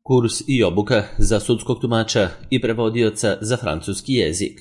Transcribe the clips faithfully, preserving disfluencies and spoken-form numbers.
Kurs i obuka za sudskog tumača i prevodioca za francuski jezik.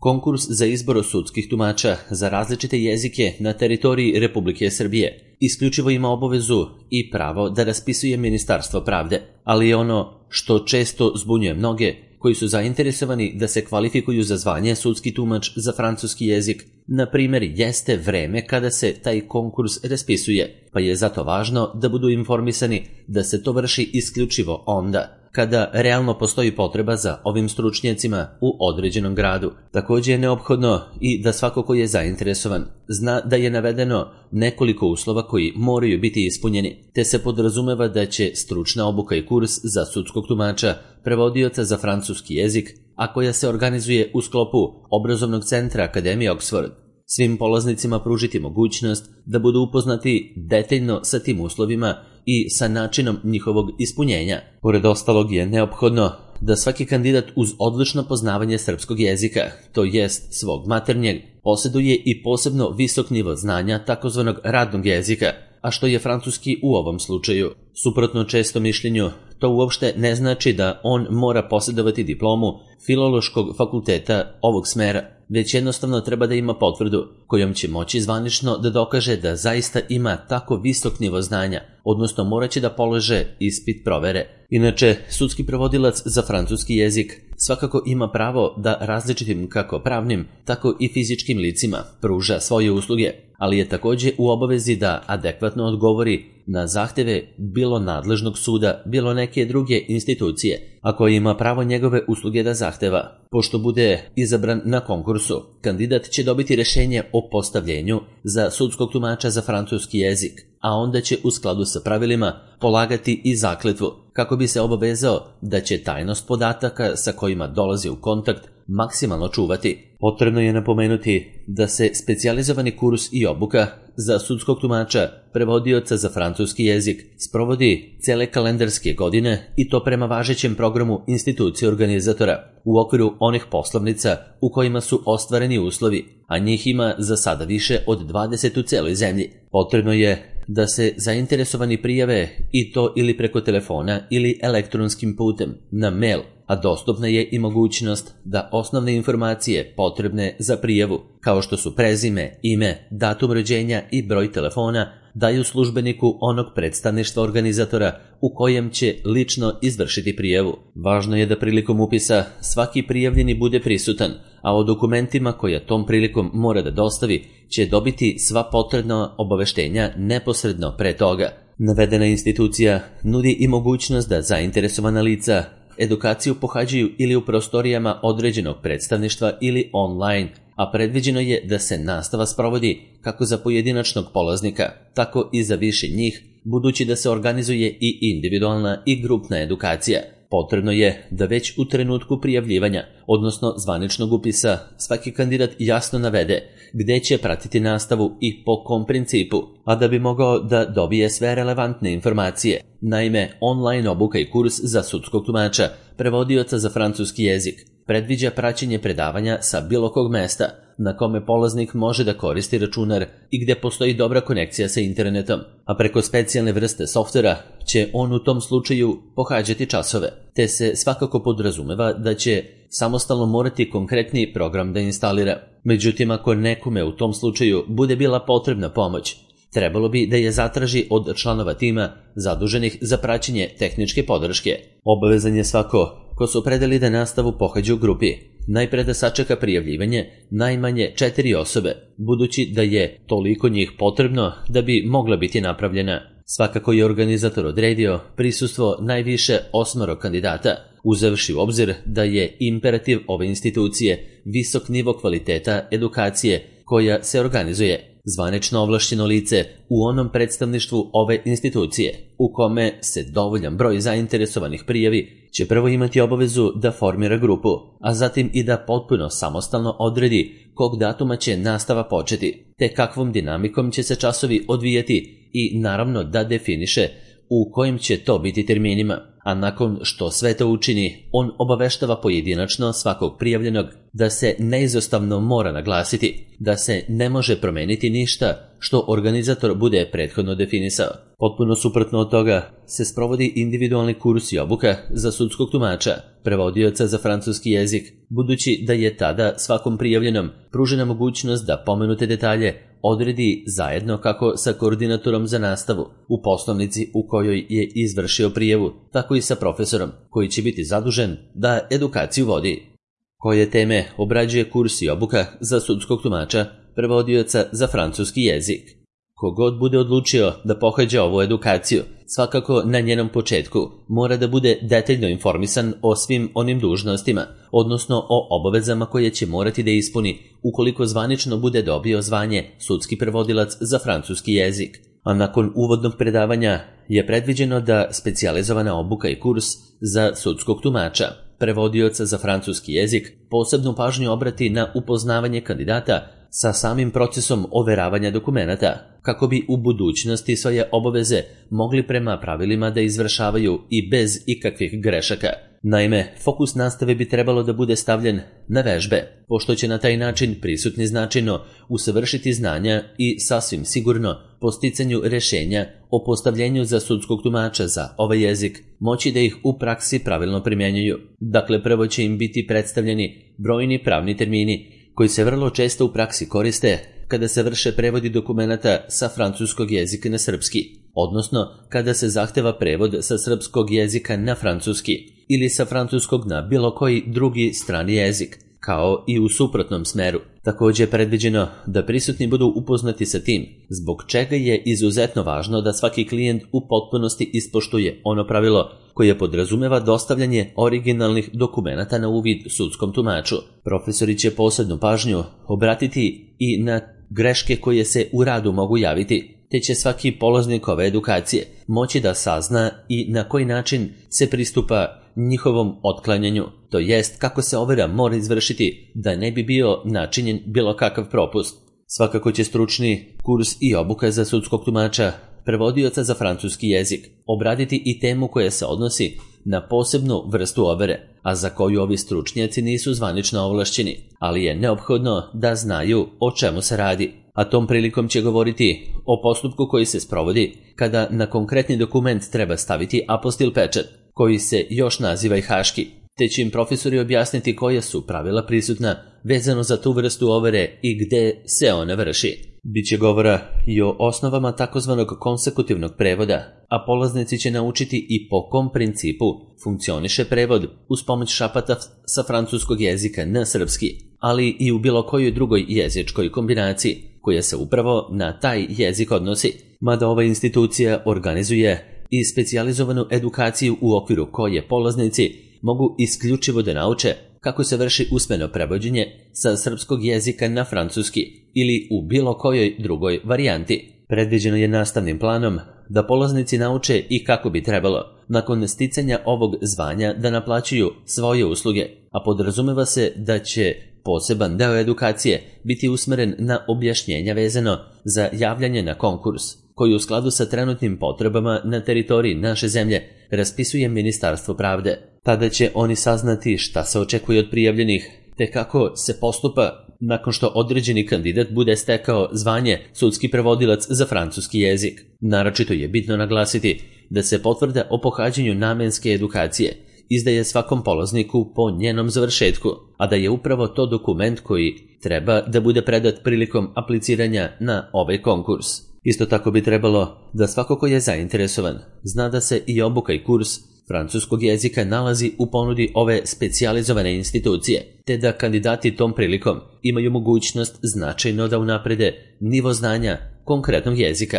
Konkurs za izbor sudskih tumača za različite jezike na teritoriji Republike Srbije isključivo ima obavezu i pravo da raspisuje Ministarstvo pravde, ali je ono što često zbunjuje mnoge koji su zainteresovani da se kvalifikuju za zvanje sudski tumač za francuski jezik, na primjer, jeste vreme kada se taj konkurs raspisuje, pa je zato važno da budu informisani da se to vrši isključivo onda kada realno postoji potreba za ovim stručnjacima u određenom gradu. Također je neophodno i da svako ko je zainteresovan zna da je navedeno nekoliko uslova koji moraju biti ispunjeni, te se podrazumeva da će stručna obuka i kurs za sudskog tumača, prevodioca za francuski jezik, a koja se organizuje u sklopu obrazovnog centra Akademije Oxford, svim polaznicima pružiti mogućnost da budu upoznati detaljno sa tim uslovima i sa načinom njihovog ispunjenja. Pored ostalog je neophodno da svaki kandidat uz odlično poznavanje srpskog jezika, to jest svog maternjeg, posjeduje i posebno visok nivo znanja takozvanog radnog jezika, a što je francuski u ovom slučaju. Suprotno često mišljenju, to uopšte ne znači da on mora posjedovati diplomu Filološkog fakulteta ovog smera, već jednostavno treba da ima potvrdu kojom će moći zvanično da dokaže da zaista ima tako visok nivo znanja, odnosno morat će da polože ispit provere. Inače, sudski prevodilac za francuski jezik svakako ima pravo da različitim kako pravnim, tako i fizičkim licima pruža svoje usluge, ali je također u obavezi da adekvatno odgovori na zahteve bilo nadležnog suda, bilo neke druge institucije, ako ima pravo njegove usluge da zahteva. Pošto bude izabran na konkursu, kandidat će dobiti rješenje o postavljenju za sudskog tumača za francuski jezik, a onda će u skladu sa pravilima polagati i zakletvu, kako bi se obavezao da će tajnost podataka sa kojima dolazi u kontakt maksimalno čuvati. Potrebno je napomenuti da se specijalizovani kurs i obuka za sudskog tumača, prevodioca za francuski jezik, sprovodi cele kalendarske godine i to prema važećem programu institucije organizatora u okviru onih poslovnica u kojima su ostvareni uslovi, a njih ima za sada više od dvadeset u celoj zemlji. Potrebno je da se zainteresovani prijave i to ili preko telefona ili elektronskim putem na mail, a dostupna je i mogućnost da osnovne informacije potrebne za prijavu, kao što su prezime, ime, datum rođenja i broj telefona, daju službeniku onog predstavništva organizatora u kojem će lično izvršiti prijavu. Važno je da prilikom upisa svaki prijavljeni bude prisutan, a o dokumentima koja tom prilikom mora da dostavi će dobiti sva potrebna obaveštenja neposredno pre toga. Navedena institucija nudi i mogućnost da zainteresovana lica edukaciju pohađaju ili u prostorijama određenog predstavništva ili online, a predviđeno je da se nastava sprovodi kako za pojedinačnog polaznika, tako i za više njih, budući da se organizuje i individualna i grupna edukacija. Potrebno je da već u trenutku prijavljivanja, odnosno zvaničnog upisa, svaki kandidat jasno navede gde će pratiti nastavu i po kom principu, a da bi mogao da dobije sve relevantne informacije. Naime, online obuka i kurs za sudskog tumača, prevodioca za francuski jezik, predviđa praćenje predavanja sa bilo kog mesta na kome polaznik može da koristi računar i gde postoji dobra konekcija sa internetom, a preko specijalne vrste softvera će on u tom slučaju pohađati časove, te se svakako podrazumeva da će samostalno morati konkretni program da instalira. Međutim, ako nekome u tom slučaju bude bila potrebna pomoć, trebalo bi da je zatraži od članova tima zaduženih za praćenje tehničke podrške. Obavezan je svako ko se opredeli da nastavu pohađa u grupi najpre da sačeka prijavljivanje najmanje četiri osobe, budući da je toliko njih potrebno da bi mogla biti napravljena. Svakako je organizator odredio prisustvo najviše osmoro kandidata, uzevši u obzir da je imperativ ove institucije visok nivo kvaliteta edukacije koja se organizuje. Zvanično ovlašćeno lice u onom predstavništvu ove institucije, u kome se dovoljan broj zainteresovanih prijavi, će prvo imati obavezu da formira grupu, a zatim i da potpuno samostalno odredi kog datuma će nastava početi, te kakvom dinamikom će se časovi odvijati i naravno da definiše u kojim će to biti terminima, a nakon što sve to učini, on obaveštava pojedinačno svakog prijavljenog da se neizostavno mora naglasiti da se ne može promeniti ništa što organizator bude prethodno definisao. Potpuno suprotno od toga se sprovodi individualni kurs i obuka za sudskog tumača, prevodioca za francuski jezik, budući da je tada svakom prijavljenom pružena mogućnost da pomenute detalje odredi zajedno kako sa koordinatorom za nastavu u poslovnici u kojoj je izvršio prijavu, tako i sa profesorom koji će biti zadužen da edukaciju vodi. Koje teme obrađuje kurs i obuka za sudskog tumača, prevodioca za francuski jezik? Kogod bude odlučio da pohađa ovu edukaciju, svakako na njenom početku mora da bude detaljno informisan o svim onim dužnostima, odnosno o obavezama koje će morati da ispuni ukoliko zvanično bude dobio zvanje sudski prevodilac za francuski jezik. A nakon uvodnog predavanja je predviđeno da specijalizovana obuka i kurs za sudskog tumača, prevodioca za francuski jezik, posebnu pažnju obrati na upoznavanje kandidata sa samim procesom overavanja dokumenata, kako bi u budućnosti svoje obaveze mogli prema pravilima da izvršavaju i bez ikakvih grešaka. Naime, fokus nastave bi trebalo da bude stavljen na vežbe, pošto će na taj način prisutni značajno usavršiti znanja i sasvim sigurno po sticanju rešenja o postavljenju za sudskog tumača za ovaj jezik moći da ih u praksi pravilno primjenjuju. Dakle, prvo će im biti predstavljeni brojni pravni termini koji se vrlo često u praksi koriste kada se vrše prevodi dokumenata sa francuskog jezika na srpski, odnosno kada se zahteva prevod sa srpskog jezika na francuski ili sa francuskog na bilo koji drugi strani jezik, kao i u suprotnom smeru. Također je predviđeno da prisutni budu upoznati sa tim, zbog čega je izuzetno važno da svaki klijent u potpunosti ispoštuje ono pravilo koje podrazumeva dostavljanje originalnih dokumenata na uvid sudskom tumaču. Profesori će posebnu pažnju obratiti i na greške koje se u radu mogu javiti, te će svaki polaznik ove edukacije moći da sazna i na koji način se pristupa njihovom otklanjanju, to jest kako se overa mora izvršiti da ne bi bio načinjen bilo kakav propust. Svakako će stručni kurs i obuka za sudskog tumača, prevodioca za francuski jezik, obraditi i temu koja se odnosi na posebnu vrstu overe, a za koju ovi stručnjaci nisu zvanično ovlašćeni, ali je neophodno da znaju o čemu se radi. A tom prilikom će govoriti o postupku koji se sprovodi kada na konkretni dokument treba staviti apostil pečat, koji se još naziva i haški, te će im profesori objasniti koja su pravila prisutna vezano za tu vrstu overe i gde se ona vrši. Biće govora i o osnovama takozvanog konsekutivnog prevoda, a polaznici će naučiti i po kom principu funkcioniše prevod uz pomoć šapata sa francuskog jezika na srpski, ali i u bilo kojoj drugoj jezičkoj kombinaciji koja se upravo na taj jezik odnosi, mada ova institucija organizuje i specijalizovanu edukaciju u okviru koje polaznici mogu isključivo da nauče kako se vrši usmeno prevođenje sa srpskog jezika na francuski ili u bilo kojoj drugoj varijanti. Predviđeno je nastavnim planom da polaznici nauče i kako bi trebalo, nakon sticanja ovog zvanja, da naplaćuju svoje usluge, a podrazumeva se da će poseban deo edukacije biti usmeren na objašnjenja vezano za javljanje na konkurs, koji u skladu sa trenutnim potrebama na teritoriji naše zemlje raspisuje Ministarstvo pravde. Tada će oni saznati šta se očekuje od prijavljenih, te kako se postupa nakon što određeni kandidat bude stekao zvanje sudski prevodilac za francuski jezik. Naročito je bitno naglasiti da se potvrda o pohađanju namenske edukacije izdaje svakom polazniku po njenom završetku, a da je upravo to dokument koji treba da bude predat prilikom apliciranja na ovaj konkurs. Isto tako bi trebalo da svako ko je zainteresovan zna da se i obuka i kurs francuskog jezika nalazi u ponudi ove specijalizovane institucije, te da kandidati tom prilikom imaju mogućnost značajno da unaprede nivo znanja konkretnog jezika.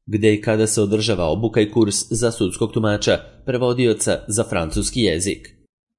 Gde i kada se održava obuka i kurs za sudskog tumača, prevodioca za francuski jezik?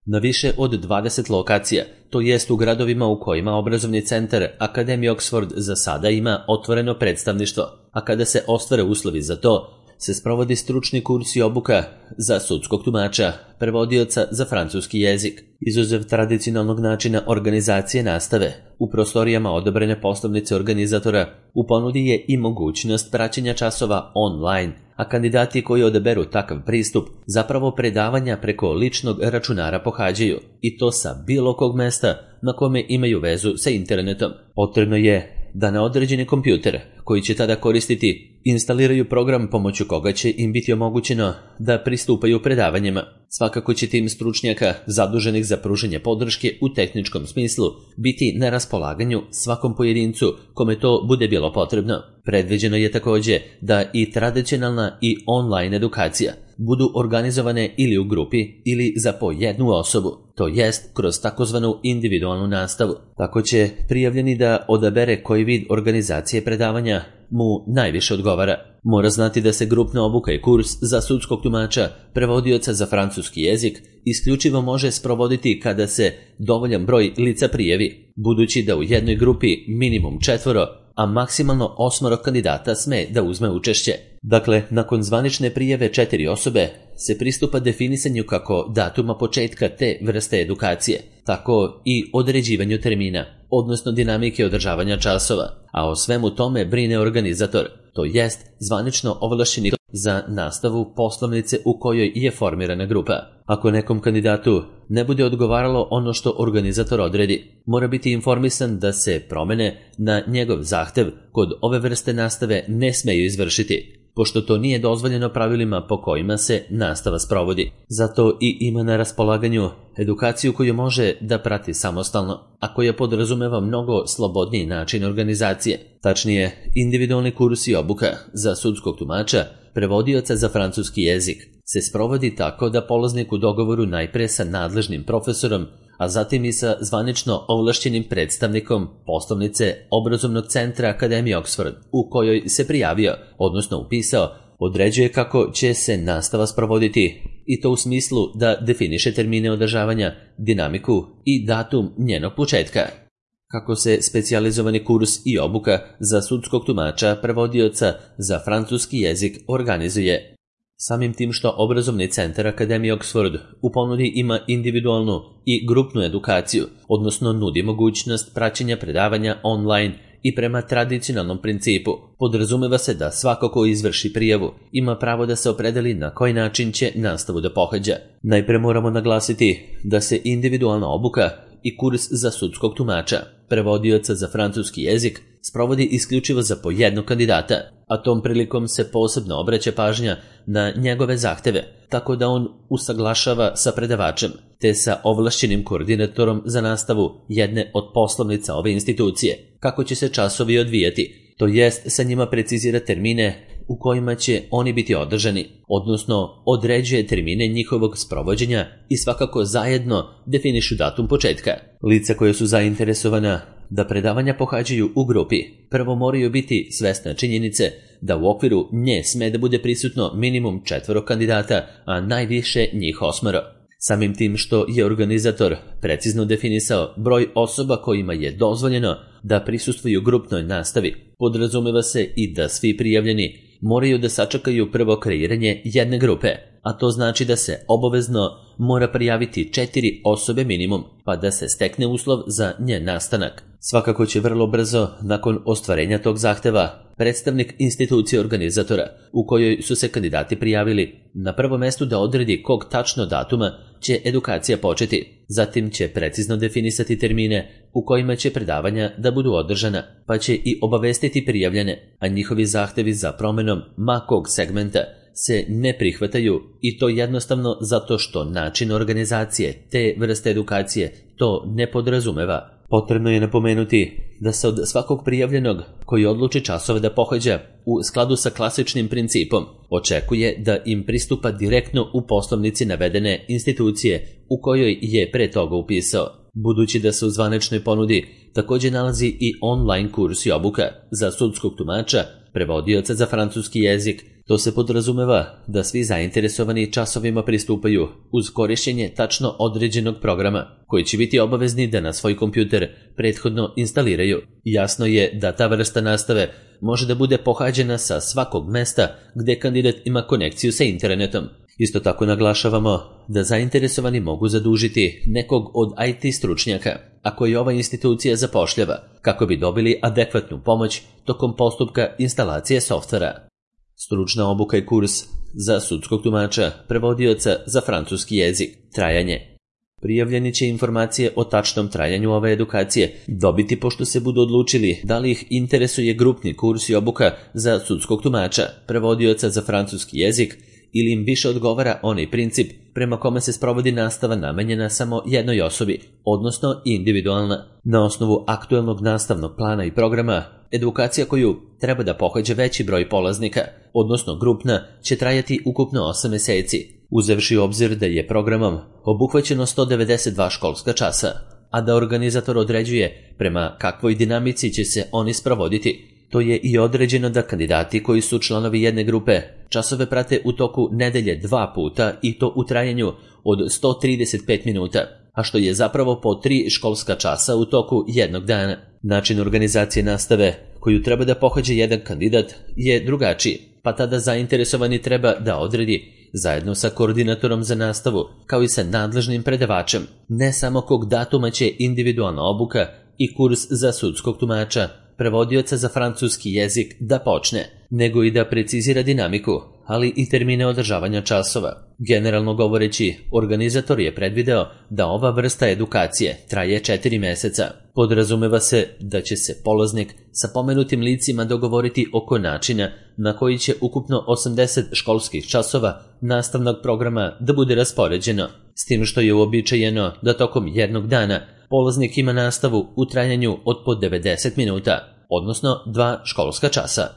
Na više od dvadeset lokacija, to jest u gradovima u kojima obrazovni centar Akademije Oxford za sada ima otvoreno predstavništvo, a kada se ostvare uslovi za to, se sprovodi stručni kurs i obuka za sudskog tumača, prevodioca za francuski jezik. Izuzev tradicionalnog načina organizacije nastave, u prostorijama odabrane poslovnice organizatora u ponudi je i mogućnost praćenja časova online, a kandidati koji odaberu takav pristup zapravo predavanja preko ličnog računara pohađaju, i to sa bilo kog mesta na kome imaju vezu sa internetom. Potrebno je da na određeni kompjuter koji će tada koristiti instaliraju program pomoću koga će im biti omogućeno da pristupaju predavanjima. Svakako će tim stručnjaka zaduženih za pružanje podrške u tehničkom smislu biti na raspolaganju svakom pojedincu kome to bude bilo potrebno. Predviđeno je također da i tradicionalna i online edukacija budu organizovane ili u grupi ili za po jednu osobu, to jest kroz takozvanu individualnu nastavu. Tako će prijavljeni da odabere koji vid organizacije predavanja mu najviše odgovara. Mora znati da se grupna obuka i kurs za sudskog tumača, prevodioca za francuski jezik, isključivo može sprovoditi kada se dovoljan broj lica prijavi, budući da u jednoj grupi minimum četvoro, a maksimalno osmoro kandidata sme da uzme učešće. Dakle, nakon zvanične prijave četiri osobe se pristupa definisanju kako datuma početka te vrste edukacije, tako i određivanju termina, odnosno dinamike održavanja časova, a o svemu tome brine organizator, to jest zvanično ovlašćeni za nastavu poslovnice u kojoj je formirana grupa. Ako nekom kandidatu ne bude odgovaralo ono što organizator odredi, mora biti informisan da se promene na njegov zahtev kod ove vrste nastave ne smeju izvršiti, pošto to nije dozvoljeno pravilima po kojima se nastava sprovodi. Zato i ima na raspolaganju edukaciju koju može da prati samostalno, a koja podrazumeva mnogo slobodniji način organizacije. Tačnije, individualni kurs i obuka za sudskog tumača, prevodioca za francuski jezik, se sprovodi tako da polaznik u dogovoru najpre sa nadležnim profesorom, a zatim i sa zvanično ovlašćenim predstavnikom poslovnice obrazovnog centra Akademije Oxford u kojoj se prijavio, odnosno upisao, određuje kako će se nastava sprovoditi, i to u smislu da definiše termine održavanja, dinamiku i datum njenog početka. Kako se specijalizovani kurs i obuka za sudskog tumača, prevodioca za francuski jezik organizuje. Samim tim što obrazovni centar Akademije Oxford u ponudi ima individualnu i grupnu edukaciju, odnosno nudi mogućnost praćenja predavanja online i prema tradicionalnom principu, podrazumeva se da svako ko izvrši prijavu ima pravo da se opredeli na koji način će nastavu da pohađa. Najpre moramo naglasiti da se individualna obuka i kurs za sudskog tumača, prevodioca za francuski jezik, sprovodi isključivo za po jednog kandidata, a tom prilikom se posebno obraća pažnja na njegove zahteve, tako da on usaglašava sa predavačem, te sa ovlašćenim koordinatorom za nastavu jedne od poslovnica ove institucije, kako će se časovi odvijati, to jest sa njima precizira termine u kojima će oni biti održani, odnosno određuje termine njihovog sprovođenja i svakako zajedno definišu datum početka. Lica koja su zainteresovana da predavanja pohađaju u grupi prvo moraju biti svesna činjenice da u okviru nje sme da bude prisutno minimum četvoro kandidata, a najviše njih osmoro. Samim tim što je organizator precizno definisao broj osoba kojima je dozvoljeno da prisustvuju grupnoj nastavi, podrazumeva se i da svi prijavljeni moraju da sačekaju prvo kreiranje jedne grupe, a to znači da se obavezno mora prijaviti četiri osobe minimum, pa da se stekne uslov za njen nastanak. Svakako će vrlo brzo, nakon ostvarenja tog zahteva, predstavnik institucije organizatora u kojoj su se kandidati prijavili na prvo mestu da odredi kog tačno datuma će edukacija početi. Zatim će precizno definisati termine u kojima će predavanja da budu održana, pa će i obavestiti prijavljene, a njihovi zahtevi za promenom ma kog segmenta se ne prihvataju, i to jednostavno zato što način organizacije te vrste edukacije to ne podrazumeva. Potrebno je napomenuti da se od svakog prijavljenog koji odluči časove da pohađa u skladu sa klasičnim principom očekuje da im pristupa direktno u poslovnici navedene institucije u kojoj je pre toga upisao. Budući da se u zvaničnoj ponudi također nalazi i online kurs i obuka za sudskog tumača, prevodioca za francuski jezik, to se podrazumeva da svi zainteresovani časovima pristupaju uz korišćenje tačno određenog programa, koji će biti obavezni da na svoj kompjuter prethodno instaliraju. Jasno je da ta vrsta nastave može da bude pohađena sa svakog mesta gde kandidat ima konekciju sa internetom. Isto tako naglašavamo da zainteresovani mogu zadužiti nekog od I T stručnjaka, a koji ova institucija zapošljava, kako bi dobili adekvatnu pomoć tokom postupka instalacije softvera. Stručna obuka i kurs za sudskog tumača, prevodioca za francuski jezik. Trajanje. Prijavljeni će informacije o tačnom trajanju ove edukacije dobiti pošto se budu odlučili da li ih interesuje grupni kurs i obuka za sudskog tumača, prevodioca za francuski jezik, ili im više odgovara onaj princip prema kome se sprovodi nastava namenjena samo jednoj osobi, odnosno individualna. Na osnovu aktuelnog nastavnog plana i programa, edukacija koju treba da pohađa veći broj polaznika, odnosno grupna, će trajati ukupno osam meseci, uzevši u obzir da je programom obuhvaćeno sto devedeset dva školska časa, a da organizator određuje prema kakvoj dinamici će se oni sprovoditi. To je i određeno da kandidati koji su članovi jedne grupe časove prate u toku nedelje dva puta i to u trajanju od sto trideset pet minuta, a što je zapravo po tri školska časa u toku jednog dana. Način organizacije nastave koju treba da pohađa jedan kandidat je drugačiji, pa tada zainteresovani treba da odredi zajedno sa koordinatorom za nastavu, kao i sa nadležnim predavačem, ne samo kog datuma će individualna obuka i kurs za sudskog tumača, prevodioca za francuski jezik da počne, nego i da precizira dinamiku, ali i termine održavanja časova. Generalno govoreći, organizator je predvideo da ova vrsta edukacije traje četiri meseca. Podrazumeva se da će se polaznik sa pomenutim licima dogovoriti oko načina na koji će ukupno osamdeset školskih časova nastavnog programa da bude raspoređeno, s tim što je uobičajeno da tokom jednog dana polaznik ima nastavu u trajanju od po devedeset minuta, odnosno dva školska časa.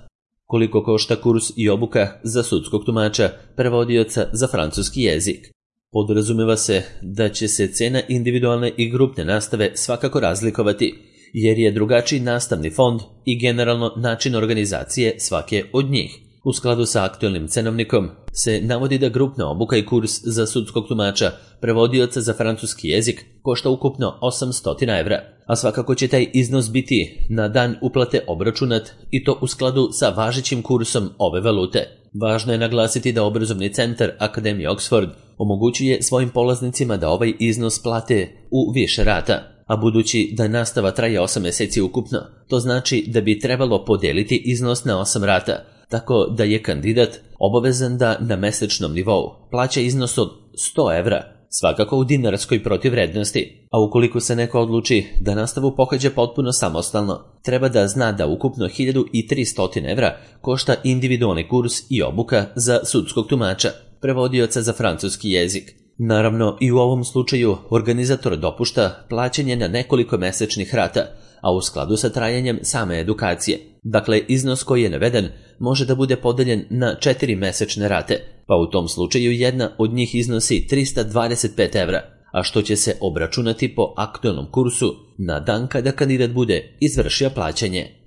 Koliko košta kurs i obuka za sudskog tumača, prevodioca za francuski jezik? Podrazumeva se da će se cena individualne i grupne nastave svakako razlikovati, jer je drugačiji nastavni fond i generalno način organizacije svake od njih. U skladu sa aktuelnim cenovnikom se navodi da grupna obuka i kurs za sudskog tumača, prevodioca za francuski jezik, košta ukupno osamsto evra, a svakako će taj iznos biti na dan uplate obračunat i to u skladu sa važećim kursom ove valute. Važno je naglasiti da obrazovni centar Akademije Oxford omogućuje svojim polaznicima da ovaj iznos plate u više rata, a budući da nastava traje osam meseci ukupno, to znači da bi trebalo podeliti iznos na osam rata, tako da je kandidat obavezan da na mesečnom nivou plaća iznos od sto evra, svakako u dinarskoj protivvrednosti, a ukoliko se neko odluči da nastavu pohađa potpuno samostalno, treba da zna da ukupno hiljadu tristo evra košta individualni kurs i obuka za sudskog tumača, prevodioca za francuski jezik. Naravno, i u ovom slučaju organizator dopušta plaćanje na nekoliko mesečnih rata, a u skladu sa trajanjem same edukacije. Dakle, iznos koji je naveden može da bude podeljen na četiri mesečne rate, pa u tom slučaju jedna od njih iznosi trista dvadeset pet evra, a što će se obračunati po aktuelnom kursu na dan kada kandidat bude izvršio plaćanje.